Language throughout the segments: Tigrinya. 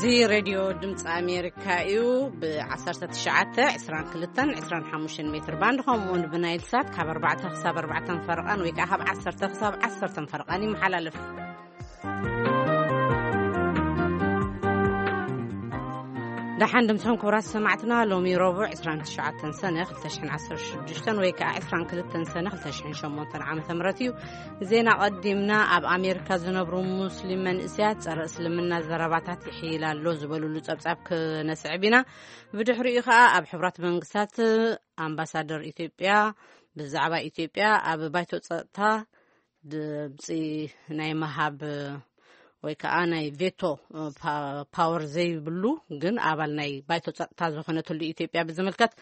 እዚ ሬድዮ ድምፂ ኣሜሪካ እዩ። ብ19፣ 22፣ 25 ሜትር ባንድ፣ ከምኡ እውን ብናይል ሳት ካብ ኣርባዕተ ክሳብ ኣርባዕተ ፈረቓን ወይ ከዓ ካብ ዓሰርተ ክሳብ ዓሰርተ ፈረቓን ይመሓላለፍ። ደሓን ድምፅኹም ክቡራት ሰማዕትና። ሎሚ ረቡዕ 29 ሰነ 2016 ወይ ከዓ 22 ሰነ 2008 ዓመተ ምህረት እዩ። ዜና ቀዲምና። ኣብ ኣሜሪካ ዝነብሩ ሙስሊም መንእሰያት ጸረ እስልምና ዘረባታት ይሕይል ኣሎ ዝበሉሉ ጸብጻብ ክነስዕብ ኢና። ብድሕሪኡ ከኣ ኣብ ሕቡራት መንግስታት ኣምባሳደር ኢትዮጵያ ብዛዕባ ኢትዮጵያ ኣብ ባይቶ ጸጥታ ድምፂ ናይ መሃብ ወይ ከዓ ናይ ቬቶ ፓወር ዘይብሉ ግን ኣባል ናይ ባይቶ ጸጥታ ዝኾነትሉ ኢትዮጵያ ብዝምልከት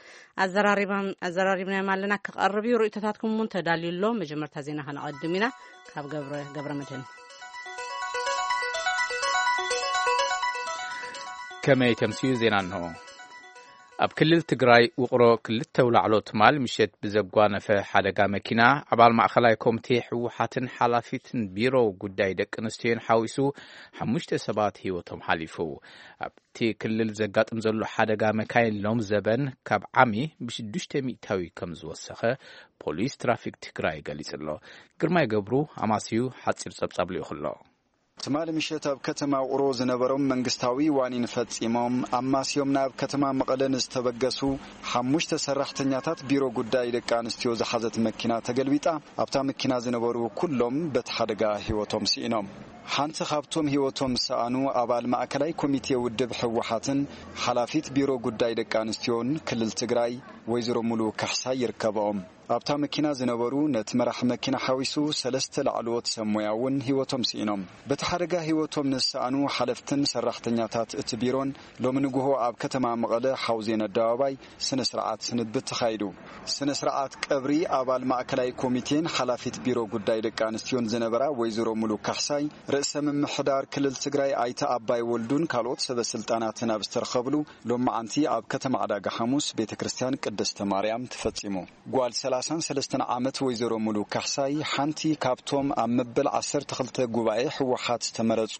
ኣዘራሪባም ኣዘራሪብናዮም ኣለና። ክቐርብ እዩ። ርእይቶታትኩም እውን ተዳልዩ ኣሎ። መጀመርታ ዜና ከነቐድም ኢና። ካብ ገብረ ገብረ መድህን። ከመይ ተምስዩ ዜና እንሆ። ኣብ ክልል ትግራይ ውቕሮ ክልተ ውላዕሎ ትማል ምሸት ብዘጓነፈ ሓደጋ መኪና ኣባል ማእኸላይ ኮሚቴ ህወሓትን ሓላፊትን ቢሮ ጉዳይ ደቂ ኣንስትዮን ሓዊሱ ሓሙሽተ ሰባት ህይወቶም ሓሊፉ። ኣብቲ ክልል ዘጋጥም ዘሎ ሓደጋ መካይን ሎም ዘበን ካብ ዓሚ ብሽዱሽተ ሚእታዊ ከም ዝወሰኸ ፖሊስ ትራፊክ ትግራይ ገሊጹ ኣሎ። ግርማይ ገብሩ ኣማስዩ ሓጺር ጸብጻብ ልኢኹ ኣሎ። ትማሊ ምሸት ኣብ ከተማ ውቕሮ ዝነበሮም መንግስታዊ ዋኒን ፈጺሞም ኣማስዮም ናብ ከተማ መቐለ ንዝተበገሱ ሓሙሽተ ሰራሕተኛታት ቢሮ ጉዳይ ደቂ ኣንስትዮ ዝሓዘት መኪና ተገልቢጣ፣ ኣብታ መኪና ዝነበሩ ኩሎም በቲ ሓደጋ ህይወቶም ስኢኖም። ሓንቲ ካብቶም ህይወቶም ዝሰኣኑ ኣባል ማእከላይ ኮሚቴ ውድብ ህወሓትን ሓላፊት ቢሮ ጉዳይ ደቂ ኣንስትዮን ክልል ትግራይ ወይዘሮ ሙሉ ካሕሳይ ይርከብኦም። ኣብታ መኪና ዝነበሩ ነቲ መራሒ መኪና ሓዊሱ ሰለስተ ላዕለዎት ሰብ ሞያ እውን ህይወቶም ስኢኖም። በቲ ሓደጋ ህይወቶም ንዝሰኣኑ ሓለፍትን ሰራሕተኛታት እቲ ቢሮን ሎሚ ንግሆ ኣብ ከተማ መቐለ ሓውዜን ኣደባባይ ስነ ስርዓት ስንብት ተኻይዱ። ስነ ስርዓት ቀብሪ ኣባል ማእከላይ ኮሚቴን ሓላፊት ቢሮ ጉዳይ ደቂ ኣንስትዮን ዝነበራ ወይዘሮ ሙሉ ካሕሳይ፣ ርእሰ ምምሕዳር ክልል ትግራይ ኣይተ ኣባይ ወልዱን ካልኦት ሰበ ስልጣናትን ኣብ ዝተረኸብሉ ሎማዓንቲ ኣብ ከተማ ዕዳጋ ሓሙስ ቤተ ክርስቲያን ቅድስተ ማርያም ተፈጺሙ። ጓል ሰላሳን ሰለስተን ዓመት ወይዘሮ ሙሉ ካሕሳይ ሓንቲ ካብቶም ኣብ መበል ዓሰርተ ክልተ ጉባኤ ህወሓት ዝተመረጹ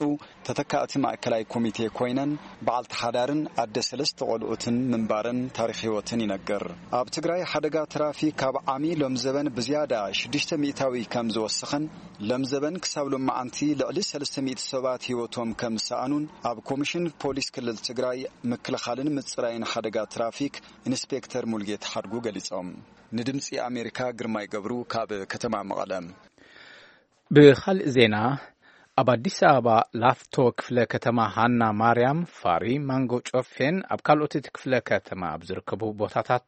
ተተካእቲ ማእከላይ ኮሚቴ ኮይነን፣ በዓልቲ ሓዳርን ኣደ ሰለስተ ቆልዑትን ምንባረን ታሪኽ ህይወትን ይነግር። ኣብ ትግራይ ሓደጋ ትራፊክ ካብ ዓሚ ሎም ዘበን ብዝያዳ ሽዱሽተ ሚእታዊ ከም ዝወሰኸን፣ ሎም ዘበን ክሳብ ሎማዓንቲ ልዕሊ ሰለስተ ሚእቲ ሰባት ህይወቶም ከም ዝሰኣኑን ኣብ ኮሚሽን ፖሊስ ክልል ትግራይ ምክልኻልን ምጽራይን ሓደጋ ትራፊክ ኢንስፔክተር ሙልጌታ ሓድጉ ገሊጾም። ንድምጺ ኣሜሪካ ግርማይ ገብሩ ካብ ከተማ መቐለ። ብኻልእ ዜና፣ ኣብ ኣዲስ ኣበባ ላፍቶ ክፍለ ከተማ ሃና ማርያም፣ ፋሪ፣ ማንጎ ጮፌን ኣብ ካልኦት እቲ ክፍለ ከተማ ኣብ ዝርከቡ ቦታታት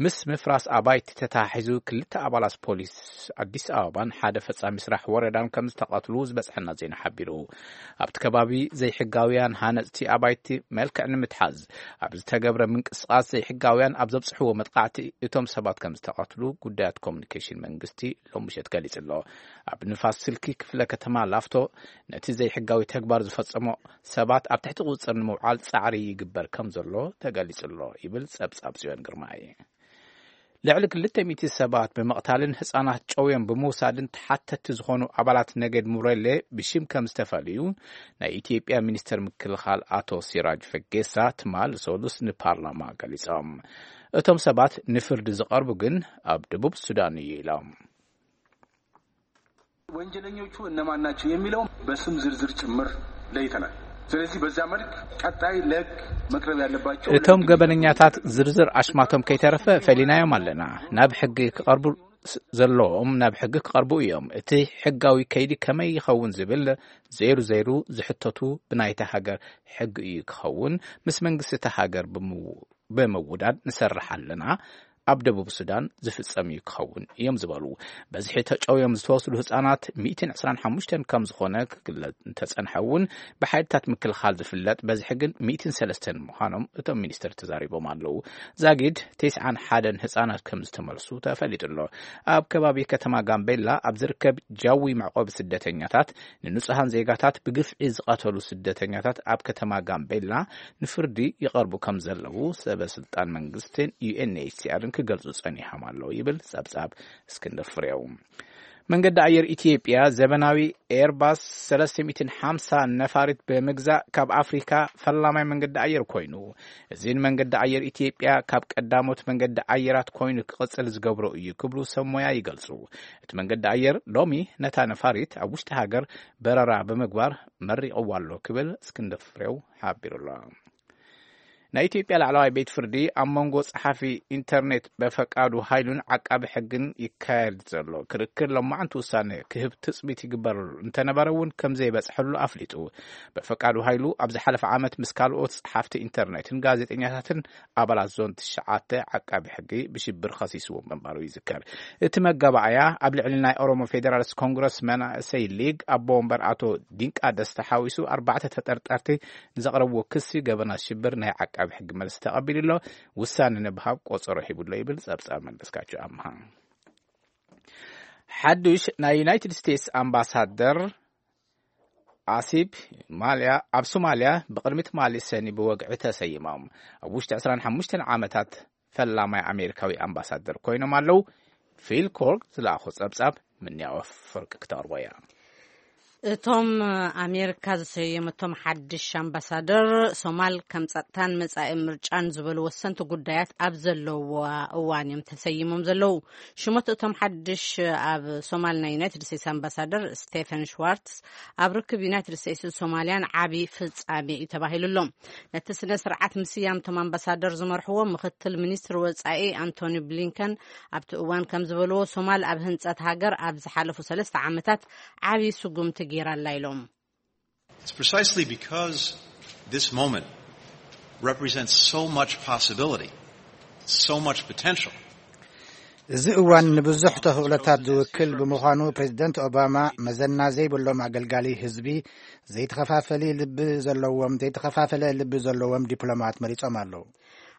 ምስ ምፍራስ ኣባይቲ ተተሓሒዙ ክልተ ኣባላት ፖሊስ ኣዲስ ኣበባን ሓደ ፈጻሚ ስራሕ ወረዳን ከም ዝተቐትሉ ዝበጽሐና ዜና ሓቢሩ። ኣብቲ ከባቢ ዘይሕጋውያን ሃነጽቲ ኣባይቲ መልክዕ ንምትሓዝ ኣብ ዝተገብረ ምንቅስቓስ ዘይሕጋውያን ኣብ ዘብጽሕዎ መጥቃዕቲ እቶም ሰባት ከም ዝተቐትሉ ጉዳያት ኮሙኒኬሽን መንግስቲ ሎም ምሸት ገሊጹ ኣሎ። ኣብ ንፋስ ስልኪ ክፍለ ከተማ ላፍቶ ነቲ ዘይሕጋዊ ተግባር ዝፈጸሞ ሰባት ኣብ ትሕቲ ቁጽጽር ንምውዓል ጻዕሪ ይግበር ከም ዘሎ ተገሊጹ ኣሎ ይብል ጸብጻብ ጽዮን ግርማይ። ልዕሊ ክልተ ሚእቲ ሰባት ብምቕታልን ህጻናት ጨውዮም ብምውሳድን ተሓተቲ ዝኾኑ ኣባላት ነገድ ሙረሌ ብሽም ከም ዝተፈልዩ ናይ ኢትዮጵያ ሚኒስተር ምክልኻል ኣቶ ሲራጅ ፈጌሳ ትማል ሰሉስ ንፓርላማ ገሊጾም። እቶም ሰባት ንፍርዲ ዝቐርቡ ግን ኣብ ደቡብ ሱዳን እዩ ኢሎም። ወንጀለኞቹ እነማን ናቸው የሚለው በስም ዝርዝር ጭምር ለይተናል። ስለዚህ በዛ መልክ ቀጣይ ለህግ መቅረብ ያለባቸው እቶም ገበነኛታት ዝርዝር ኣሽማቶም ከይተረፈ ፈሊናዮም ኣለና። ናብ ሕጊ ክቐርቡ ዘለዎም ናብ ሕጊ ክቐርቡ እዮም። እቲ ሕጋዊ ከይዲ ከመይ ይኸውን ዝብል ዘይሩ ዘይሩ ዝሕተቱ ብናይታ ሃገር ሕጊ እዩ ክኸውን። ምስ መንግስቲ እታ ሃገር ብምውዳድ ንሰርሕ ኣለና። ኣብ ደቡብ ሱዳን ዝፍጸም እዩ ክኸውን እዮም ዝበሉ። በዝሒ ተጨውዮም ዝተወስዱ ህጻናት ሚእትን ዕስራን ሓሙሽተን ከም ዝኾነ ክግለጽ እንተጸንሐ እውን ብሓይልታት ምክልኻል ዝፍለጥ በዝሒ ግን ሚእትን ሰለስተን ምዃኖም እቶም ሚኒስትር ተዛሪቦም ኣለዉ። ዛጊድ ተስዓን ሓደን ህጻናት ከም ዝተመልሱ ተፈሊጡ ኣሎ። ኣብ ከባቢ ከተማ ጋምቤላ ኣብ ዝርከብ ጃዊ መዕቆቢ ስደተኛታት ንንጹሃን ዜጋታት ብግፍዒ ዝቐተሉ ስደተኛታት ኣብ ከተማ ጋምቤላ ንፍርዲ ይቐርቡ ከም ዘለዉ ሰበ ስልጣን መንግስትን ዩኤንኤችሲኣርን ክገልጹ ጸኒሖም ኣለዉ ይብል ጸብጻብ እስክንድር ፍሬው። መንገዲ ኣየር ኢትዮጵያ ዘበናዊ ኤርባስ ሰለስተ ሚእትን ሓምሳ ነፋሪት ብምግዛእ ካብ ኣፍሪካ ፈላማይ መንገዲ ኣየር ኮይኑ፣ እዚ ንመንገዲ ኣየር ኢትዮጵያ ካብ ቀዳሞት መንገዲ ኣየራት ኮይኑ ክቕጽል ዝገብሮ እዩ ክብሉ ሰብ ሞያ ይገልጹ። እቲ መንገዲ ኣየር ሎሚ ነታ ነፋሪት ኣብ ውሽጢ ሃገር በረራ ብምግባር መሪቕዋ ኣሎ ክብል እስክንድር ፍሬው ሓቢሩ ኣሎ። ናይ ኢትዮጵያ ላዕለዋይ ቤት ፍርዲ ኣብ መንጎ ጸሓፊ ኢንተርኔት በፈቃዱ ሃይሉን ዓቃቢ ሕግን ይካየድ ዘሎ ክርክር ለማዕንቲ ውሳነ ክህብ ትጽቢት ይግበረሉ እንተነበረ እውን ከም ዘይበጽሐሉ ኣፍሊጡ። በፈቃዱ ሃይሉ ኣብ ዝሓለፈ ዓመት ምስ ካልኦት ጸሓፍቲ ኢንተርኔትን ጋዜጠኛታትን ኣባላት ዞን ትሽዓተ ዓቃቢ ሕጊ ብሽብር ከሲስዎም ምንባሩ ይዝከር። እቲ መጋባእያ ኣብ ልዕሊ ናይ ኦሮሞ ፌዴራሊስት ኮንግረስ መናእሰይ ሊግ ኣቦ ወንበር ኣቶ ዲንቃ ደስታ ሓዊሱ ኣርባዕተ ተጠርጠርቲ ንዘቕረብዎ ክሲ ገበናት ሽብር ናይ ዓቃቢ ሕጊ መልሲ ተቐቢሉ ኣሎ። ውሳነ ንምሃብ ቆጸሮ ሂቡሎ ይብል ጸብጻብ መለስካቸው ኣምሃ። ሓዱሽ ናይ ዩናይትድ ስቴትስ ኣምባሳደር ኣሲብ ማልያ ኣብ ሶማልያ ብቕድሚ ትማሊ ሰኒ ብወግዒ ተሰይሞም። ኣብ ውሽጢ ዕስራን ሓሙሽተን ዓመታት ፈላማይ ኣሜሪካዊ ኣምባሳደር ኮይኖም ኣለዉ። ፊል ኮርክ ዝለኣኾ ጸብጻብ ምንያወ ፍርቂ ክተቕርቦ እያ። እቶም ኣሜሪካ ዝሰየመቶም ሓድሽ ኣምባሳደር ሶማል ከም ጸጥታን መጻኢ ምርጫን ዝበሉ ወሰንቲ ጉዳያት ኣብ ዘለዋ እዋን እዮም ተሰይሞም ዘለዉ። ሽሞት እቶም ሓድሽ ኣብ ሶማል ናይ ዩናይትድ ስቴትስ ኣምባሳደር ስቴፈን ሽዋርትስ ኣብ ርክብ ዩናይትድ ስቴትስን ሶማልያን ዓቢ ፍጻሜ እዩ ተባሂሉ ኣሎ። ነቲ ስነ ስርዓት ምስያም እቶም ኣምባሳደር ዝመርሕዎ ምክትል ሚኒስትር ወጻኢ ኣንቶኒ ብሊንከን ኣብቲ እዋን ከም ዝበልዎ ሶማል ኣብ ህንጸት ሃገር ኣብ ዝሓለፉ ሰለስተ ዓመታት ዓቢ ስጉምቲ ገይራ ኣላ ኢሎም። It's precisely because this moment represents so much possibility, so much potential. እዚ እዋን ንብዙሕ ተኽእሎታት ዝውክል ብምዃኑ ፕሬዚደንት ኦባማ መዘና ዘይብሎም ኣገልጋሊ ህዝቢ ዘይተኸፋፈሊ ልቢ ዘለዎም ዘይተኸፋፈለ ልቢ ዘለዎም ዲፕሎማት መሪጾም ኣለዉ።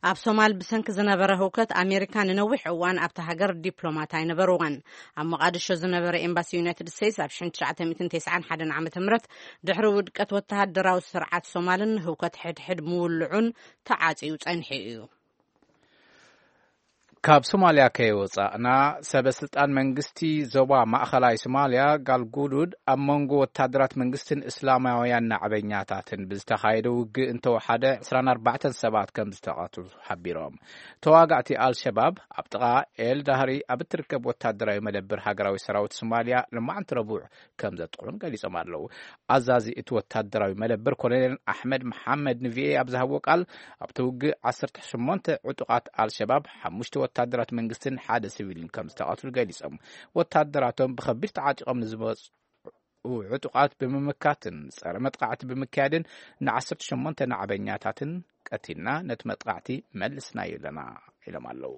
ኣብ ሶማል ብሰንኪ ዝነበረ ህውከት ኣሜሪካ ንነዊሕ እዋን ኣብታ ሃገር ዲፕሎማት ኣይነበርዋን። ኣብ ሞቓድሾ ዝነበረ ኤምባሲ ዩናይትድ ስቴትስ ኣብ ሽሕን ትሽዓተ ሚእትን ተስዓን ሓደን ዓመተ ምህረት ድሕሪ ውድቀት ወተሃደራዊ ስርዓት ሶማልን ህውከት ሕድሕድ ምውልዑን ተዓጽዩ ጸኒሑ እዩ። ካብ ሶማልያ ከይወጻእና ሰበ ስልጣን መንግስቲ ዞባ ማእኸላይ ሶማልያ ጋልጉዱድ ኣብ መንጎ ወታደራት መንግስትን እስላማውያን ናዕበኛታትን ብዝተኻየደ ውግእ እንተወሓደ ዕስራን ኣርባዕተን ሰባት ከም ዝተቐቱ ሓቢሮም። ተዋጋእቲ ኣልሸባብ ኣብ ጥቓ ኤል ዳህሪ ኣብ እትርከብ ወታደራዊ መደብር ሃገራዊ ሰራዊት ሶማልያ ልማዕንቲ ረቡዕ ከም ዘጥቕዑን ገሊጾም ኣለዉ። ኣዛዚ እቲ ወታደራዊ መደብር ኮሎኔል ኣሕመድ መሓመድ ንቪኤ ኣብ ዝሃብዎ ቃል ኣብቲ ውግእ ዓሰርተ ሸሞንተ ዕጡቓት ኣልሸባብ ሓሙሽተ ወታደራት መንግስትን ሓደ ሲቪልን ከም ዝተቐትሉ ገሊጾም። ወታደራቶም ብኸቢድ ተዓጢቖም ንዝመጹ ዕጡቓት ብምምካትን ጸረ መጥቃዕቲ ብምክያድን ንዓሰርተ ሸሞንተ ናዕበኛታትን ቀቲልና ነቲ መጥቃዕቲ መልስናዮ ኣለና ኢሎም ኣለዉ።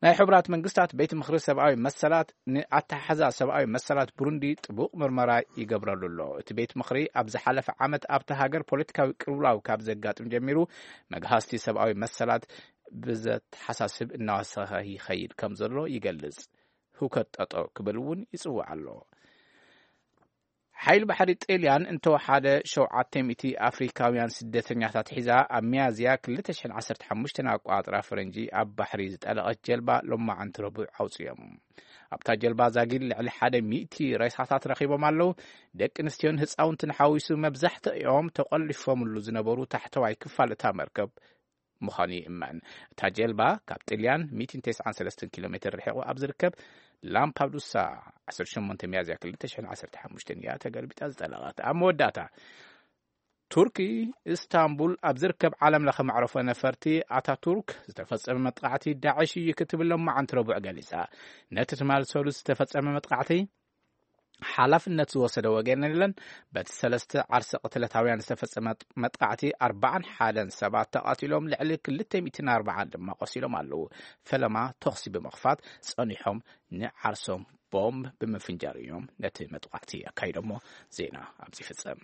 ናይ ሕቡራት መንግስታት ቤት ምኽሪ ሰብኣዊ መሰላት ንኣተሓሕዛ ሰብኣዊ መሰላት ብሩንዲ ጥቡቕ ምርመራ ይገብረሉ ኣሎ። እቲ ቤት ምኽሪ ኣብ ዝሓለፈ ዓመት ኣብቲ ሃገር ፖለቲካዊ ቅልውላው ካብ ዘጋጥም ጀሚሩ መግሃስቲ ሰብኣዊ መሰላት ብዘተሓሳስብ እናወሰኸ ይኸይድ ከም ዘሎ ይገልጽ። ህውከት ጠጠው ክብል እውን ይጽውዕ ኣሎ። ሓይል ባሕሪ ጣልያን እንተወሓደ ሸውዓተ ሚእቲ ኣፍሪካውያን ስደተኛታት ሒዛ ኣብ ሚያዝያ ክልተ ሽሕን ዓሰርተ ሓሙሽተን ኣቋጽራ ፈረንጂ ኣብ ባሕሪ ዝጠለቐት ጀልባ ሎማዓንቲ ረቡዕ ኣውፅዮም። ኣብታ ጀልባ ዛጊድ ልዕሊ ሓደ ሚእቲ ሬሳታት ረኺቦም ኣለዉ። ደቂ ኣንስትዮን ህፃውንትን ሓዊሱ መብዛሕትኦም ተቆሊፎምሉ ዝነበሩ ታሕተዋይ ክፋል እታ መርከብ ምዃኑ ይእመን። እታ ጀልባ ካብ ጥልያን ሚእትን ተስዓን ሰለስተን ኪሎ ሜትር ርሒቑ ኣብ ዝርከብ ላምፓዱሳ ዓሰርተ ሸሞንተ ሚያዝያ ክልተ ሽሕን ዓሰርተ ሓሙሽተን እያ ተገልቢጣ ዝጠለቐት። ኣብ መወዳእታ ቱርኪ ኢስታንቡል ኣብ ዝርከብ ዓለም ለኸ መዕረፎ ነፈርቲ ኣታቱርክ ዝተፈጸመ መጥቃዕቲ ዳዕሽ እዩ ክትብል ሎማዓንቲ ረቡዕ ገሊጻ። ነቲ ትማል ሰሉስ ዝተፈጸመ መጥቃዕቲ ሓላፍነት ዝወሰደ ወገን የለን። በቲ ሰለስተ ዓርሰ ቅትለታውያን ዝተፈጸመ መጥቃዕቲ ኣርባዓን ሓደን ሰባት ተቓቲሎም ልዕሊ ክልተ ሚእትን ኣርባዓን ድማ ቆሲሎም ኣለዉ። ፈለማ ተኹሲ ብምኽፋት ጸኒሖም ንዓርሶም ቦምብ ብምፍንጃር እዮም ነቲ መጥቃዕቲ ኣካይዶሞ። ዜና ኣብዚ ይፍጸም።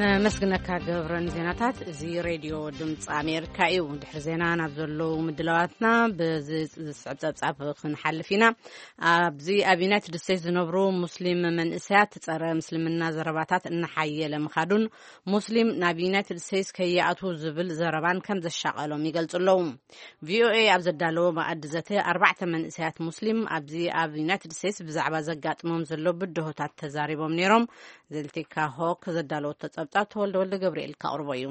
ነመስግነካ ገብረን ዜናታት። እዚ ሬድዮ ድምፂ ኣሜሪካ እዩ። ድሕሪ ዜና ናብ ዘለዉ ምድላዋትና ብዚ ዝስዕብ ጸብጻብ ክንሓልፍ ኢና። ኣብዚ ኣብ ዩናይትድ ስቴትስ ዝነብሩ ሙስሊም መንእሰያት ጸረ ምስልምና ዘረባታት እናሓየለ ምኻዱን ሙስሊም ናብ ዩናይትድ ስቴትስ ከይኣትዉ ዝብል ዘረባን ከም ዘሻቐሎም ይገልጹ ኣለዉ። ቪኦኤ ኣብ ዘዳለዎ መኣዲ ዘተ ኣርባዕተ መንእሰያት ሙስሊም ኣብዚ ኣብ ዩናይትድ ስቴትስ ብዛዕባ ዘጋጥሞም ዘሎ ብድሆታት ተዛሪቦም ነይሮም። ዘልቲካ ሆክ ዘዳለወቶ ጸብጻብ ተወልደ ወልደ ገብርኤል ካቕርቦ እዩ።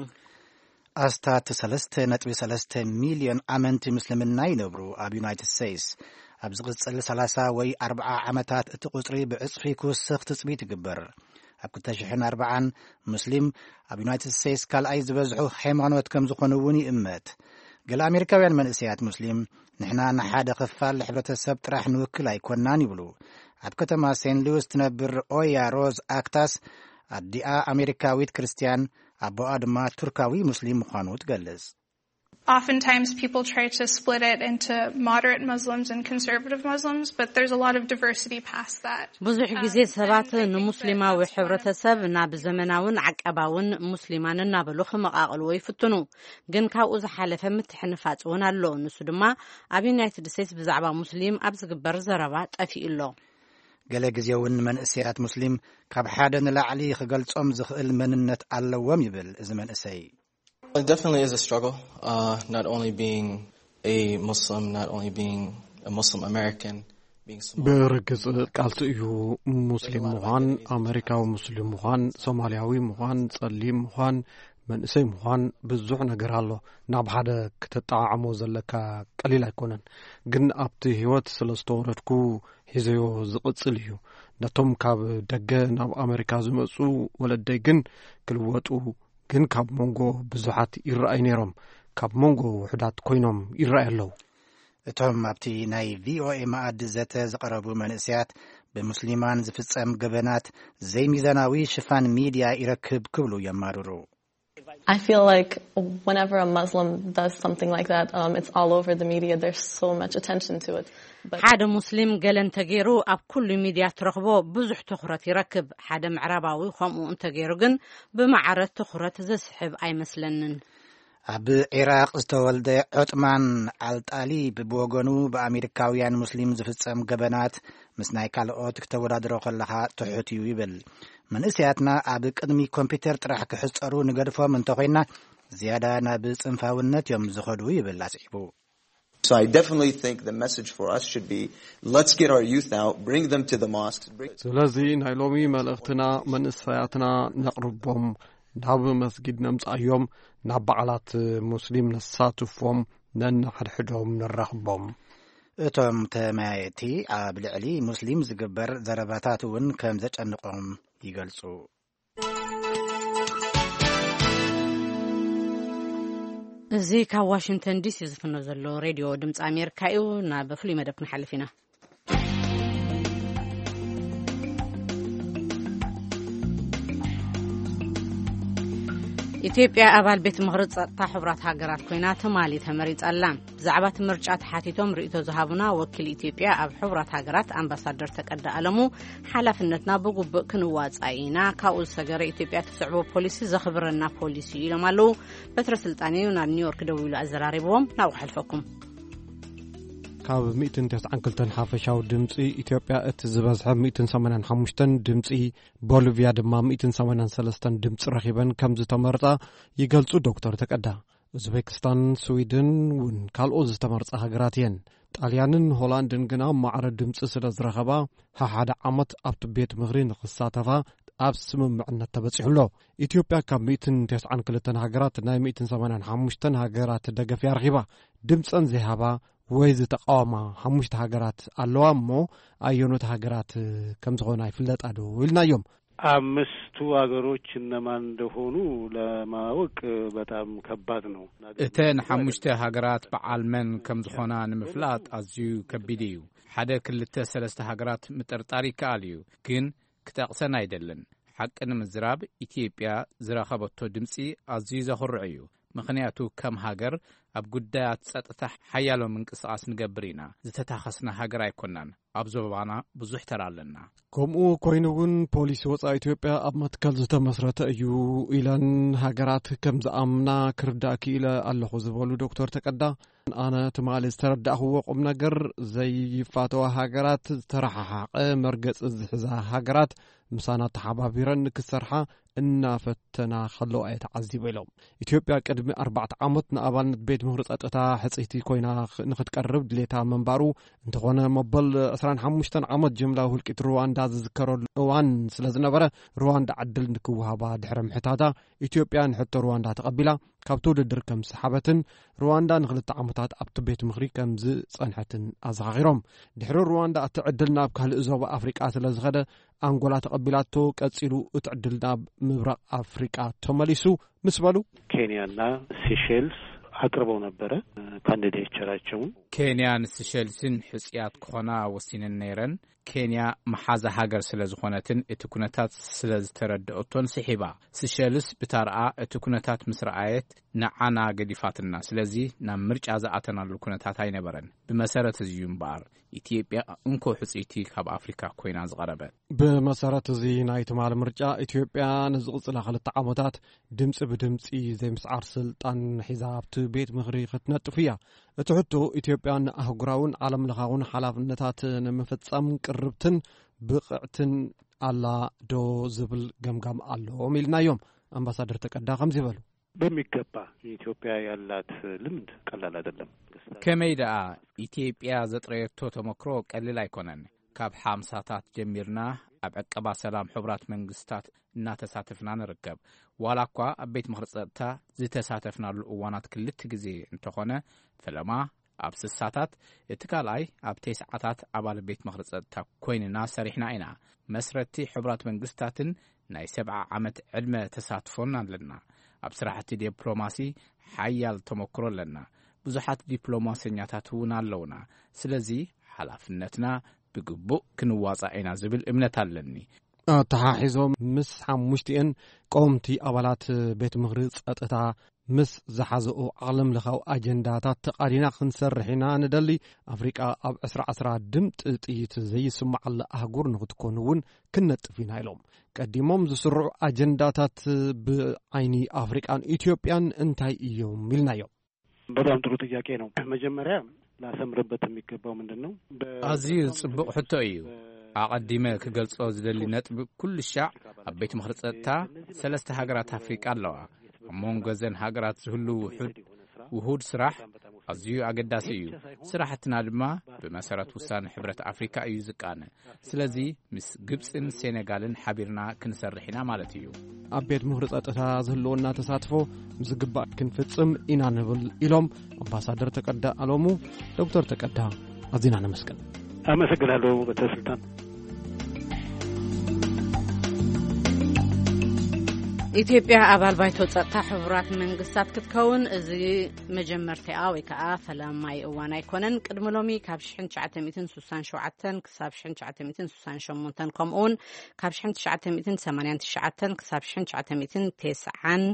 ኣስታት ሰለስተ ነጥቢ ሰለስተ ሚልዮን ኣመንቲ ምስልምና ይነብሩ ኣብ ዩናይትድ ስቴትስ። ኣብ ዝቕጽል ሰላሳ ወይ ኣርብዓ ዓመታት እቲ ቁጽሪ ብዕጽፊ ክውስኽ ትጽቢት ይግበር። ኣብ ክልተ ሽሕን ኣርባዓን ሙስሊም ኣብ ዩናይትድ ስቴትስ ካልኣይ ዝበዝሑ ሃይማኖት ከም ዝኾኑ እውን ይእመት። ገለ ኣሜሪካውያን መንእሰያት ሙስሊም፣ "ንሕና ንሓደ ክፋል ሕብረተሰብ ጥራሕ ንውክል ኣይኮናን" ይብሉ። ኣብ ከተማ ሴንት ሉዊስ ትነብር ኦያ ሮዝ ኣክታስ፣ ኣዲኣ ኣሜሪካዊት ክርስትያን፣ ኣቦኣ ድማ ቱርካዊ ሙስሊም ምዃኑ ትገልጽ። Oftentimes, people try to split it into moderate Muslims and conservative Muslims, but there's a lot of diversity past that. ብዙሕ ግዜ ሰባት ንሙስሊማዊ ሕብረተሰብ ናብ ዘመናውን ዓቀባውን ሙስሊማን እናበሉ ክመቓቕልዎ ይፍትኑ፣ ግን ካብኡ ዝሓለፈ ምትሕንፋጽ እውን ኣሎ። ንሱ ድማ ኣብ ዩናይትድ ስቴትስ ብዛዕባ ሙስሊም ኣብ ዝግበር ዘረባ ጠፊኡ ኣሎ። ገለ ግዜ እውን መንእሰያት ሙስሊም ካብ ሓደ ንላዕሊ ክገልጾም ዝኽእል መንነት ኣለዎም ይብል እዚ መንእሰይ። It definitely is a struggle, uh, not only being a Muslim, not only being a Muslim American, being Somali. ብርግጽ ቃልሲ እዩ። ሙስሊም ምዃን፣ ኣመሪካዊ ሙስሊም ምዃን፣ ሶማልያዊ ምዃን፣ ጸሊም ምዃን፣ መንእሰይ ምዃን ብዙሕ ነገር ኣሎ። ናብ ሓደ ክተጠዓዕሞ ዘለካ ቀሊል ኣይኮነን። ግን ኣብቲ ህይወት ስለ ዝተወረድኩ ሒዘዮ ዝቕጽል እዩ። ነቶም ካብ ደገ ናብ ኣመሪካ ዝመጹ ወለደይ ግን ክልወጡ ግን ካብ መንጎ ብዙሓት ይረኣዩ ነይሮም፣ ካብ መንጎ ውሑዳት ኮይኖም ይረኣዩ ኣለዉ። እቶም ኣብቲ ናይ ቪኦኤ መኣዲ ዘተ ዝቐረቡ መንእሰያት፣ ብሙስሊማን ዝፍጸም ገበናት ዘይሚዛናዊ ሽፋን ሚድያ ይረክብ ክብሉ የማርሩ። I feel like whenever a Muslim does something like that, um, it's all over the media. There's so much attention to it. But ሓደ ሙስሊም ገለ እንተገይሩ ኣብ ኩሉ ሚድያ ትረኽቦ ብዙሕ ትኹረት ይረክብ። ሓደ ምዕራባዊ ከምኡ እንተገይሩ ግን ብማዕረ ትኹረት ዘስሕብ ኣይመስለንን። ኣብ ዒራቕ ዝተወልደ ዑጥማን ኣልጣሊብ ብወገኑ፣ ብኣሜሪካውያን ሙስሊም ዝፍጸም ገበናት ምስ ናይ ካልኦት ክተወዳድሮ ከለኻ ትሑት እዩ ይብል። መንእሰያትና ኣብ ቅድሚ ኮምፒተር ጥራሕ ክሕጸሩ ንገድፎም እንተኾይና፣ ዝያዳ ናብ ጽንፋውነት እዮም ዝኸዱ ይብል ኣስዒቡ። So I definitely think the message for us should be, let's get our youth out, bring them to the mosques. Bring... ስለዚ ናይ ሎሚ መልእኽትና መንእሰያትና ነቕርቦም፣ ናብ መስጊድ ነምጻዮም፣ ናብ በዓላት ሙስሊም ነሳትፎም፣ ነንሓድሕዶም ነራኽቦም። እቶም ተመያየጥቲ ኣብ ልዕሊ ሙስሊም ዝግበር ዘረባታት እውን ከም ዘጨንቖም ይገልጹ። እዚ ካብ ዋሽንግተን ዲሲ ዝፍኖ ዘሎ ሬድዮ ድምፂ ኣሜሪካ እዩ። ናብ ፍሉይ መደብ ክንሓልፍ ኢና። ኢትዮጵያ ኣባል ቤት ምኽሪ ጸጥታ ሕቡራት ሃገራት ኮይና ትማሊ ተመሪጻ ኣላ። ብዛዕባ እቲ ምርጫ ተሓቲቶም ርእይቶ ዝሃቡና ወኪል ኢትዮጵያ ኣብ ሕቡራት ሃገራት ኣምባሳደር ተቀዳ ኣለሙ፣ ሓላፍነትና ብጉቡእ ክንዋጻእ ኢና፣ ካብኡ ዝሰገረ ኢትዮጵያ ትስዕቦ ፖሊሲ ዘኽብረና ፖሊሲ እዩ ኢሎም ኣለዉ። በትረ ስልጣን እዩ ናብ ኒውዮርክ ደዊሉ ኣዘራሪብዎም። ናብኡ ከሕልፈኩም። ካብ ሚእትን ተስዓን ክልተን ሓፈሻዊ ድምፂ ኢትዮጵያ እቲ ዝበዝሐ ሚእትን ሰማንያን ሓሙሽተን ድምፂ፣ ቦሊቪያ ድማ ሚእትን ሰማንያን ሰለስተን ድምፂ ረኺበን ከም ዝተመርጣ ይገልፁ ዶክተር ተቀዳ። ኡዝቤክስታን፣ ስዊድን እውን ካልኦት ዝተመርጻ ሃገራት እየን። ጣልያንን ሆላንድን ግና ማዕረ ድምፂ ስለ ዝረኸባ፣ ሓሓደ ዓመት ኣብቲ ቤት ምኽሪ ንኽሳተፋ ኣብ ስምምዕነት ተበጺሑ ኣሎ። ኢትዮጵያ ካብ ሚእትን ተስዓን ክልተን ሃገራት ናይ ሚእትን ሰማንያን ሓሙሽተን ሃገራት ደገፍ እያ ረኺባ። ድምፀን ዘይሃባ ወይ ዝተቃወማ ሓሙሽተ ሃገራት ኣለዋ እሞ፣ ኣየኖት ሃገራት ከም ዝኾና ይፍለጣ ዶ ኢልናዮም። አምስቱ አገሮች እነማን እንደሆኑ ለማወቅ በጣም ከባድ ነው። እተን ሓሙሽተ ሃገራት በዓል መን ከም ዝኾና ንምፍላጥ ኣዝዩ ከቢድ እዩ። ሓደ ክልተ ሰለስተ ሃገራት ምጥርጣር ይከኣል እዩ፣ ግን ክጠቕሰን ኣይደልን። ሓቂ ንምዝራብ፣ ኢትዮጵያ ዝረኸበቶ ድምፂ ኣዝዩ ዘኹርዕ እዩ። ምኽንያቱ፣ ከም ሃገር ኣብ ጉዳያት ጸጥታ ሓያሎ ምንቅስቓስ ንገብር ኢና። ዝተታኸስና ሃገር ኣይኮናን። ኣብ ዞባና ብዙሕ ተራ ኣለና። ከምኡ ኮይኑ እውን ፖሊሲ ወጻኢ ኢትዮጵያ ኣብ መትከል ዝተመስረተ እዩ ኢለን ሃገራት ከም ዝኣምና ክርዳእ ክኢለ ኣለኹ ዝበሉ ዶክተር ተቀዳ፣ ኣነ ትማሊ ዝተረዳእኽዎ ቁም ነገር ዘይፋተዋ ሃገራት፣ ዝተረሓሓቐ መርገጽ ዝሕዛ ሃገራት ምሳና ተሓባቢረን ንክሰርሓ እናፈተና ከለዋ እየ ተዓዚበ ኢሎም። ኢትዮጵያ ቅድሚ ኣርባዕተ ዓመት ንኣባልነት ቤት ምኽሪ ጸጥታ ሕጽይቲ ኮይና ንክትቀርብ ድሌታ ምንባሩ፣ እንተኾነ መበል ዕስራን ሓሙሽተን ዓመት ጅምላዊ ህልቂት ሩዋንዳ ዝዝከረሉ እዋን ስለ ዝነበረ፣ ሩዋንዳ ዕድል ንክወሃባ ድሕሪ ምሕታታ፣ ኢትዮጵያ ንሕቶ ሩዋንዳ ተቐቢላ ካብቲ ውድድር ከም ዝሰሓበትን፣ ሩዋንዳ ንክልተ ዓመታት ኣብቲ ቤት ምኽሪ ከም ዝጸንሐትን ኣዘኻኺሮም። ድሕሪ ሩዋንዳ እቲ ዕድል ናብ ካልእ ዞባ ኣፍሪቃ ስለ ዝኸደ፣ ኣንጎላ ተቐቢላቶ፣ ቀጺሉ እቲ ዕድል ናብ ምብራቕ ኣፍሪቃ ተመሊሱ ምስ በሉ፣ ኬንያና ሲሼልስ ኣቅርበው ነበረ ካንዲዴቸራቸውን። ኬንያን ሲሼልስን ሕጽያት ክኾና ወሲነን ነይረን። ኬንያ መሓዛ ሃገር ስለ ዝኾነትን እቲ ኩነታት ስለ ዝተረድኦቶን ስሒባ። ሲሸልስ ብታርኣ እቲ ኩነታት ምስ ረኣየት ንዓና ገዲፋትና። ስለዚ ናብ ምርጫ ዝኣተናሉ ኩነታት ኣይነበረን። ብመሰረት እዚ እዩ እምበኣር ኢትዮጵያ እንኮ ሕጽይቲ ካብ ኣፍሪካ ኮይና ዝቐረበት። ብመሰረት እዚ ናይ ትማሊ ምርጫ ኢትዮጵያ ንዝቕጽላ ክልተ ዓመታት ድምጺ ብድምጺ ዘይምስዓር ስልጣን ሒዛ ኣብቲ ቤት ምኽሪ ክትነጥፍ እያ። እቲ ሕቶ ኢትዮጵያ ንኣህጉራውን ዓለም ለኻውን ሓላፍነታት ንምፍጻም ቅርብትን ብቕዕትን ኣላ ዶ ዝብል ገምጋም ኣለዎም ኢልናዮም። ኣምባሳደር ተቀዳ ከምዚ በሉ። በሚገባ ኢትዮጵያ ያላት ልምድ ቀላል አይደለም። ከመይ ደኣ ኢትዮጵያ ዘጥረየቶ ተመክሮ ቀሊል ኣይኮነን። ካብ ሓምሳታት ጀሚርና ኣብ ዕቀባ ሰላም ሕቡራት መንግስታት እናተሳተፍና ንርከብ። ዋላ እኳ ኣብ ቤት ምኽሪ ጸጥታ ዝተሳተፍናሉ እዋናት ክልተ ግዜ እንተኾነ፣ ፈለማ ኣብ ስሳታት፣ እቲ ካልኣይ ኣብ ተስዓታት ኣባል ቤት ምኽሪ ጸጥታ ኮይንና ሰሪሕና ኢና። መስረቲ ሕቡራት መንግስታትን ናይ ሰብዓ ዓመት ዕድመ ተሳትፎን ኣለና። ኣብ ስራሕቲ ዲፕሎማሲ ሓያል ተመክሮ ኣለና። ብዙሓት ዲፕሎማሰኛታት እውን ኣለውና። ስለዚ ሓላፍነትና ብግቡእ ክንዋጻእ ኢና ዝብል እምነት ኣለኒ። ኣተሓሒዞም ምስ ሓሙሽቲኤን ቀወምቲ ኣባላት ቤት ምኽሪ ጸጥታ ምስ ዝሓዘኦ ዓለም ለኻዊ ኣጀንዳታት ተቓዲና ክንሰርሕ ኢና ንደሊ። ኣፍሪቃ ኣብ ዕስራ ዕስራ ድምጢ ጥይት ዘይስማዓላ ኣህጉር ንክትኮን እውን ክንነጥፍ ኢና ኢሎም። ቀዲሞም ዝስርዑ ኣጀንዳታት ብዓይኒ ኣፍሪቃን ኢትዮጵያን እንታይ እዮም ኢልናዮም። በጣም ጥሩ ጥያቄ ነው። መጀመሪያ ላሰምርበት የሚገባው ምንድን ነው? በ- ኣዝዩ ጽቡቕ ሕቶ እዩ። ኣቐዲመ ክገልጾ ዝደሊ ነጥቢ፣ ኩሉ ሻዕ ኣብ ቤት ምኽሪ ጸጥታ ሰለስተ ሃገራት ኣፍሪቃ ኣለዋ። ኣብ መንጎ እዘን ሃገራት ዝህሉ ውሑድ ውሁድ ስራሕ ኣዝዩ ኣገዳሲ እዩ። ስራሕትና ድማ ብመሰረት ውሳነ ሕብረት ኣፍሪካ እዩ ዝቃነ። ስለዚ ምስ ግብፅን ሴኔጋልን ሓቢርና ክንሰርሕ ኢና ማለት እዩ። ኣብ ቤት ምኽሪ ጸጥታ ዝህልወና ተሳትፎ ብዝግባእ ክንፍጽም ኢና ንብል ኢሎም ኣምባሳደር ተቀዳ ኣሎሙ። ዶክተር ተቀዳ ኣዚና ነመስግን። ኣመሰግናለሁ በተስልጣን። ኢትዮጵያ ኣባል ባይቶ ጸጥታ ሕቡራት መንግስታት ክትከውን እዚ መጀመርታኣ ወይ ከዓ ፈላማይ እዋን ኣይኮነን። ቅድሚ ሎሚ ካብ ሽሕን ትሽዓተ ሚእትን ስሳን ሸውዓተን ክሳብ ሽሕን ትሽዓተ ሚእትን ስሳን ሸሞንተን ከምኡውን ካብ ሽሕን ትሽዓተ ሚእትን ሰማንያን ትሽዓተን ክሳብ ሽሕን ትሽዓተ ሚእትን ተስዓን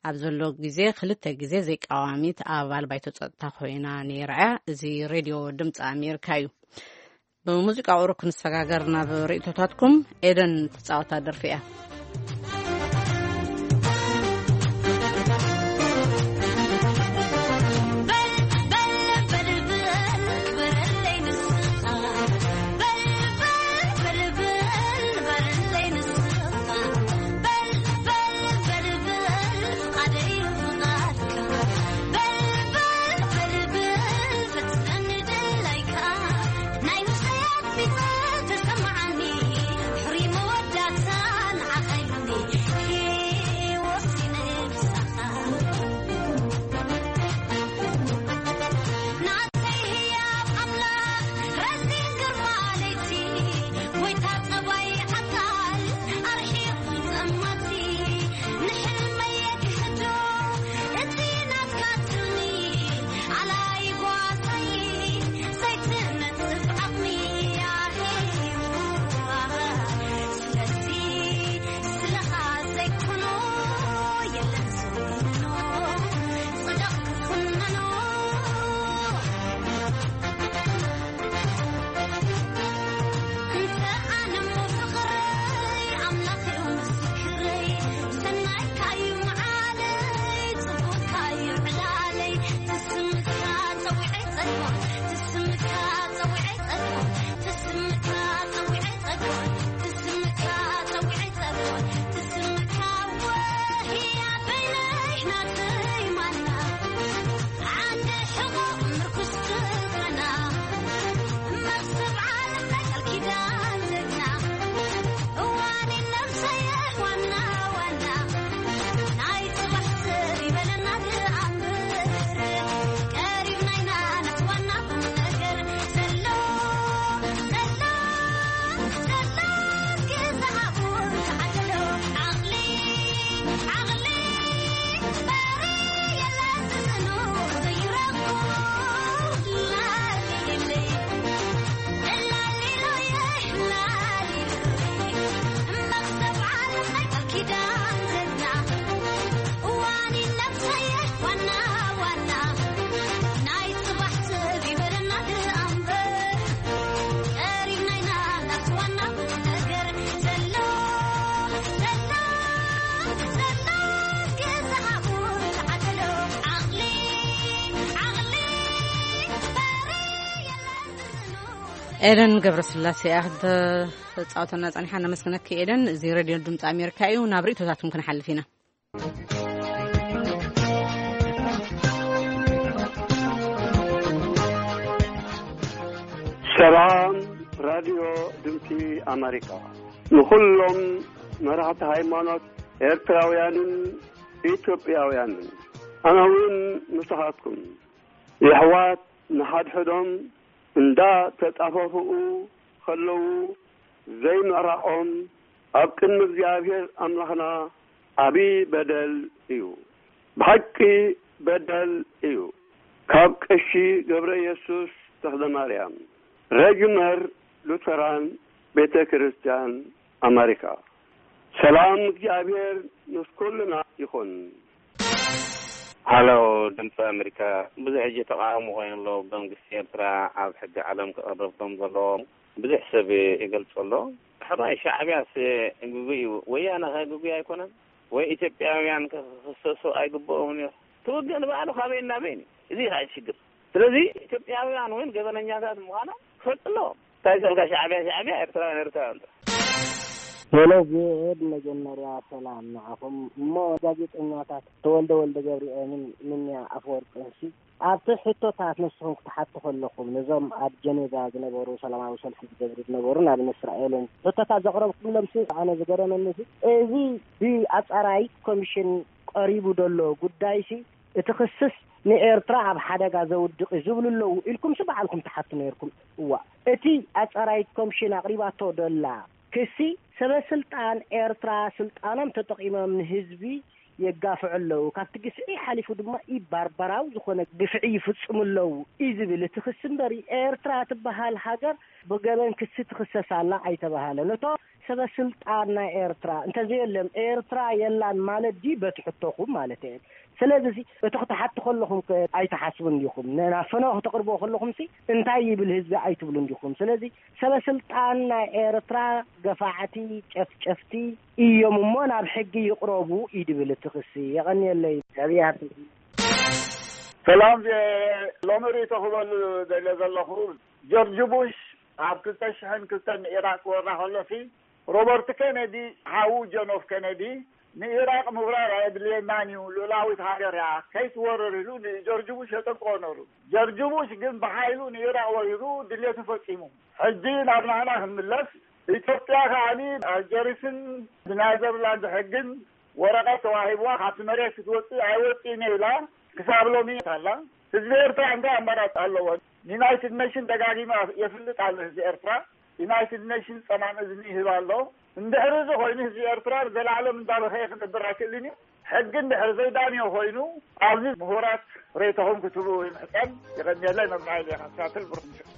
ኣብ ዘሎ ግዜ ክልተ ግዜ ዘይቃዋሚት ኣባል ባይቶ ጸጥታ ኮይና ነይራ እያ። እዚ ሬድዮ ድምፂ ኣሜሪካ እዩ። ብሙዚቃ ቁሩብ ክንሰጋገር ናብ ርእይቶታትኩም። ኤደን ትጻወታ ደርፊ እያ። ኤደን ገብረስላሴ እያ ክትፃወተና ፀኒሓ። ነመስግነኪ ኤደን። እዚ ሬድዮ ድምፂ ኣሜሪካ እዩ። ናብ ርእቶታትኩም ክንሓልፍ ኢና። ሰላም ራድዮ ድምፂ ኣሜሪካ፣ ንኹሎም መራሕቲ ሃይማኖት ኤርትራውያንን ኢትዮጵያውያንን፣ ኣነ እውን ምሳኻትኩም። የሕዋት ንሓድሕዶም እንዳ ተጣፈፍኡ ከለዉ ዘይምዕራቖም ኣብ ቅድሚ እግዚኣብሔር ኣምላኽና ዓቢ በደል እዩ። ብሓቂ በደል እዩ። ካብ ቀሺ ገብረ ኢየሱስ ተኽለ ማርያም፣ ረጅመር ሉተራን ቤተ ክርስቲያን ኣሜሪካ። ሰላም እግዚኣብሔር ምስ ኩልና ይኹን። ሃሎ፣ ድምፂ ኣሜሪካ። ብዙሕ ሕጂ ተቃውሞ ኮይኑ ኣሎ። መንግስቲ ኤርትራ ኣብ ሕጊ ዓለም ክቐርብ ከም ዘለዎ ብዙሕ ሰብ ይገልጾ ኣሎ። ሕራይ ሻዕብያስ ግጉይ እዩ። ወያነ ከ ግጉይ ኣይኮነን? ወይ ኢትዮጵያውያን ከ ክኽሰሱ ኣይግብኦምን እዩ? ትውግእ ንባዕሉ ካበይ እናበይን እዩ? እዚ እዩ ከዓ ሽግር። ስለዚ ኢትዮጵያውያን እውን ገበነኛታት ምዃኖም ክፈልጡ ኣለዎም። እንታይ ይሰልካ ሻዕብያ ሻዕብያ፣ ኤርትራውያን ኤርትራውያን። ሄሎ ቪኦኤ፣ ብመጀመርያ ሰላም ንዓኹም። እሞ ጋዜጠኛታት ተወልደ ወልደ ገብርኤልን ምንያ ኣፈወርቅንሲ ኣብቲ ሕቶታት ንስኹም ክትሓቱ ከለኹም፣ ነዞም ኣብ ጀኔቫ ዝነበሩ ሰላማዊ ሰልፊ ዝገብሩ ዝነበሩ፣ ንኣብነት እስራኤልን፣ ሕቶታት ዘቕረብኩምሎምሲ ኣነ ዝገረመኒሲ፣ እዚ ብኣጻራይት ኮሚሽን ቀሪቡ ዘሎ ጉዳይሲ፣ እቲ ክስስ ንኤርትራ ኣብ ሓደጋ ዘውድቕ እዩ ዝብሉ ኣለዉ ኢልኩምሲ ባዕልኩም ትሓቱ ነይርኩም። እዋ፣ እቲ ኣጻራይት ኮሚሽን ኣቕሪባቶ ደላ ክሲ፣ ሰበ ስልጣን ኤርትራ ስልጣኖም ተጠቒሞም ንህዝቢ የጋፍዑ ኣለዉ። ካብቲ ግፍዒ ሓሊፉ ድማ ኢባርባራዊ ዝኾነ ግፍዒ ይፍጽሙ ኣለዉ እዩ ዝብል እቲ ክሲ እምበሪ፣ ኤርትራ ትበሃል ሃገር ብገበን ክሲ ትኽሰስ ኣላ ኣይተባሃለን። እቶ ሰበ ስልጣን ናይ ኤርትራ እንተዘየሎም ኤርትራ የላን ማለት ድዩ? በቲ ሕቶኹም ማለት እየ። ስለዚ እቲ ክትሓቱ ከለኹም ከ ኣይትሓስቡን ዲኹም? ን-፣ ናብ ፈነወ ክትቕርብዎ ከለኹምሲ እንታይ ይብል ህዝቢ ኣይትብሉን ዲኹም? ስለዚ ሰበ ስልጣን ናይ ኤርትራ ገፋዕቲ፣ ጨፍጨፍቲ እዮም እሞ ናብ ሕጊ ይቕረቡ እዩ ድብል እቲ ክሲ። የቐንየለይ። ነቢያት። ሰላም፣ ዜ-፣ ሎሚ ርእይቶ ክበሉ ደልየ ዘለኹ፣ ጆርጅ ቡሽ ኣብ ክልተ ሽሕን ክልተን ንኢራቅ ክወራ ከሎሲ፣ ሮበርት ኬነዲ፣ ሓዉ ጆን ኤፍ ኬነዲ፣ ንኢራቅ ምውራር ኣየድልየናን እዩ፣ ልኡላዊት ሃገር እያ፣ ከይትወርር ኢሉ ንጆርጅ ቡሽ የጠንቅቆ ነሩ። ጆርጅ ቡሽ ግን ብሓይሉ ንኢራቅ ወሪሩ ድሌቱ ፈጺሙ። ሕጂ ናብ ናህና ክንምለስ፣ ኢትዮጵያ ከዓኒ ኣልጀሪስን ብናዘርላንድ ሕግን ወረቐት ተዋሂብዋ ካብቲ መሬት ክትወፅእ ኣይወፅእን እየ ኢላ ክሳብ ሎሚ ኣላ። ህዝቢ ኤርትራ እንታይ ኣማራፂ ኣለዎ? ዩናይትድ ኔሽን ደጋጊመ የፍልጥ ኣሎ ህዝቢ ኤርትራ። ዩናይትድ ኔሽን ጸማም እዝኒ ይህብ ኣሎ። እንድሕሪ እዚ ኮይኑ ህዝቢ ኤርትራ ንዘለኣለም እንዳበኸየ ክነብር ኣይክእልን እዩ። ሕጊ እንድሕሪ ዘይዳንዮ ኮይኑ ኣብዚ ምሁራት ሬቶኹም ክትህቡ ይምሕጸን። ይቐንየለይ መብራህይ ዜና ክሳትል ብሩኽ ምሽት።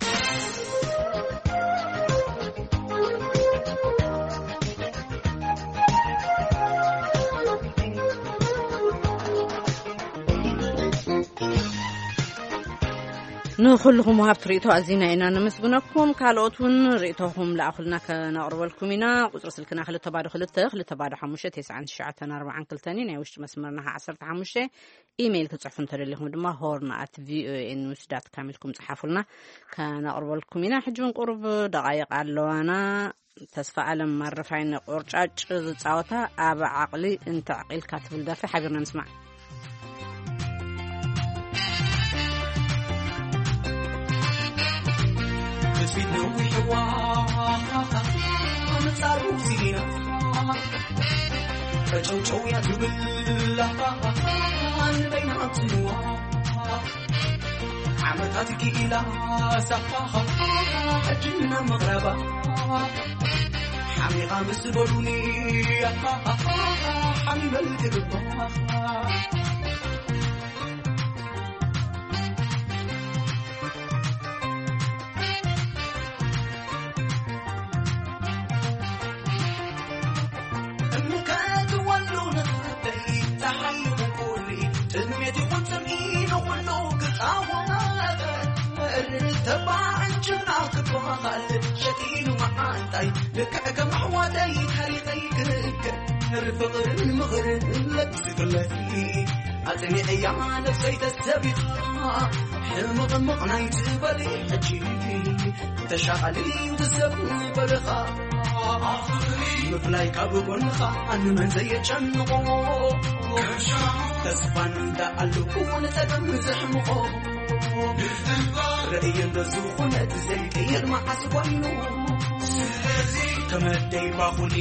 ንኹልኹም ወሃብቲ ርእይቶ ኣዚና ኢና ነመስግነኩም። ካልኦት እውን ርእይቶኹም ለኣኹልና ከነቕርበልኩም ኢና። ቁጽሪ ስልክና ክልተ ባዶ ክልተ፣ ክልተ ባዶ ሓሙሽተ፣ ተስዓን ትሽዓተን ኣርባዓን ክልተን እዩ። ናይ ውሽጢ መስመርና ኸዓ ዓሰርተ ሓሙሽተ። ኢሜይል ክጽሕፉ እንተደሊኹም ድማ ሆርን ኣት ቪኦኤ ኒውስ ዳት ካም ኢልኩም ጽሓፉልና፣ ከነቕርበልኩም ኢና። ሕጂ እውን ቁሩብ ደቓይቕ ኣለዋና። ተስፋ ኣለም ማረፋይነ ቆርጫጭ ዝጻወታ ኣብ ዓቕሊ እንተዕቒልካ ትብል ደርፊ ሓቢርና ንስማዕ። ፊት ነዊሕዋ ኣንጻሩ ሲና ፈጨውጨው እያ ትብል ንበይና ትንዋ ዓመታት ኪኢላ ሳፋኻ ሕጅና መቕረባ ሓሚኻ ምስ በሉኒ ሓሚመል ትግባ ኣጽኒዐያ ነፍሰይ ተሰቢኻ ሕምቕምቕ ናይ ትበሊ ሕጂ ተሻቓሊ ዝሰብ በልኻ ምፍላይ ካብ ጎንኻ ኣንመን ዘየጨንቖ ተስፋን እንዳኣለኩ ንጸገም ዘሕምቖ ርእየ እንተዝኾነት ዘይቀየር መዓስ ኮይኑ ከመደይ ባኹኒ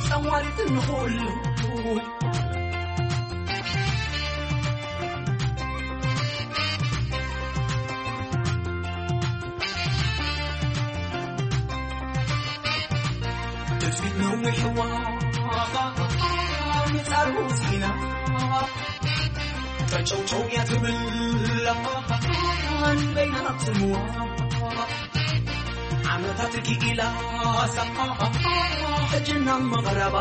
ጸዋሪት ንኹሉ ትጽቢት ነዊሕዋ ምጻሩ ሲና ፈጨውጨው እያ ትብል በይና ትምዋ ዓመታት ኪኢላ ሳፋ ሕጅና መቕረባ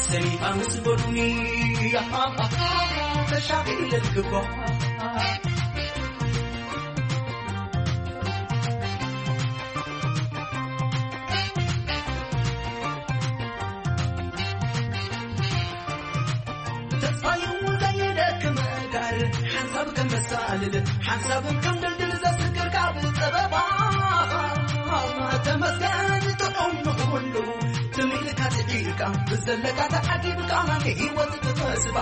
ሰኒፋ ምስ በሉኒ ተሻቒለ ትግባ ተስፋዩ ዘይደክም ጋር ሓንሳብ ከም መሳልል ሓንሳብ ከም ድልድል ዘስግር ካብ ጸበባ ተመስገን ጥዑም ንኹሉ ትም ኢልካ ትዒልካ ብዘለካ ተዓጊብካ ናይ ህይወት ተስፋ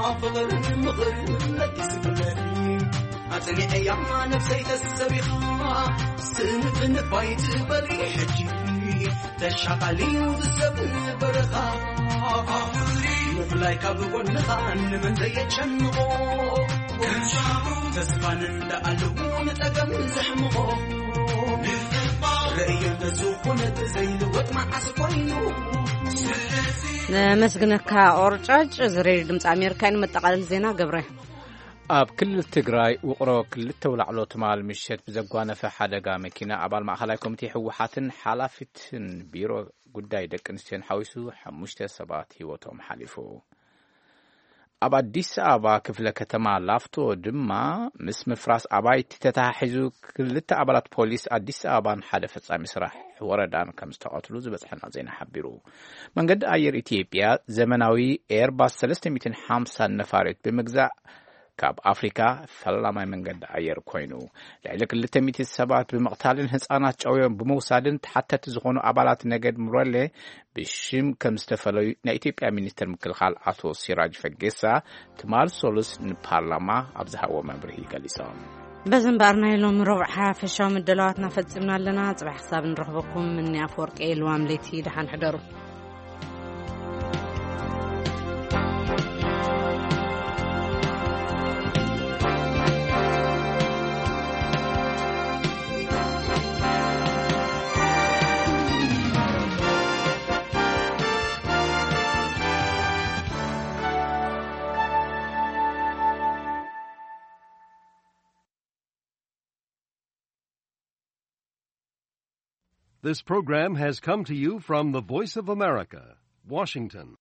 ኣብ ፍቕርን ምኽርን ለጊስክለኒ ኣጽኒዐያ ነፍሰይ ተሰቢኻ ስንፍንፍ ኣይትበሊ ሕጂ ተሻቓሊ ዝሰብ በረኻ ምፍላይ ካብ ጎንኻ ንመን ዘየጨንቖ ተስፋን እንዳኣለዎ ንጸገም ዘሕምቖ ርእየ እንተዝኾነት ዘይልወጥ መዓስ ኮይኑ ነመስግነካ ኦርጫጭ። እዚ ሬድዮ ድምፂ ኣሜሪካ እዩ። ንመጠቓለሊ ዜና ገብረ ኣብ ክልል ትግራይ ውቕሮ ክልተ ውላዕሎ ትማል ምሸት ብዘጓነፈ ሓደጋ መኪና ኣባል ማእኸላይ ኮሚቴ ህወሓትን ሓላፊትን ቢሮ ጉዳይ ደቂ ኣንስትዮን ሓዊሱ ሓሙሽተ ሰባት ህይወቶም ሓሊፉ። ኣብ ኣዲስ ኣበባ ክፍለ ከተማ ላፍቶ ድማ ምስ ምፍራስ ኣባይቲ ተተሓሒዙ ክልተ ኣባላት ፖሊስ ኣዲስ ኣበባን ሓደ ፈጻሚ ስራሕ ወረዳን ከም ዝተቐትሉ ዝበጽሐና ዜና ሓቢሩ። መንገዲ ኣየር ኢትዮጵያ ዘመናዊ ኤርባስ ሰለስተ ሚእትን ሓምሳን ነፋሪት ብምግዛእ ካብ ኣፍሪካ ፈላማይ መንገዲ ኣየር ኮይኑ ልዕሊ ክልተ ሚእቲ ሰባት ብምቕታልን ህፃናት ጨውዮም ብምውሳድን ተሓተቲ ዝኾኑ ኣባላት ነገድ ሙረሌ ብሽም ከም ዝተፈለዩ ናይ ኢትዮጵያ ሚኒስትር ምክልኻል ኣቶ ሲራጅ ፈጌሳ ትማል ሶሉስ ንፓርላማ ኣብ ዝሃብዎ መብርሂ ገሊፆም። በዚ እምበኣር ናይ ሎሚ ረቡዕ ሓፈሻዊ ምድላዋትና ፈጺምና ኣለና። ጽባሕ ክሳብ ንረኽበኩም እኒ ኣፈወርቂ ልዋም ለይቲ ደሓን ሕደሩ። This program has come to you from the Voice of America, Washington.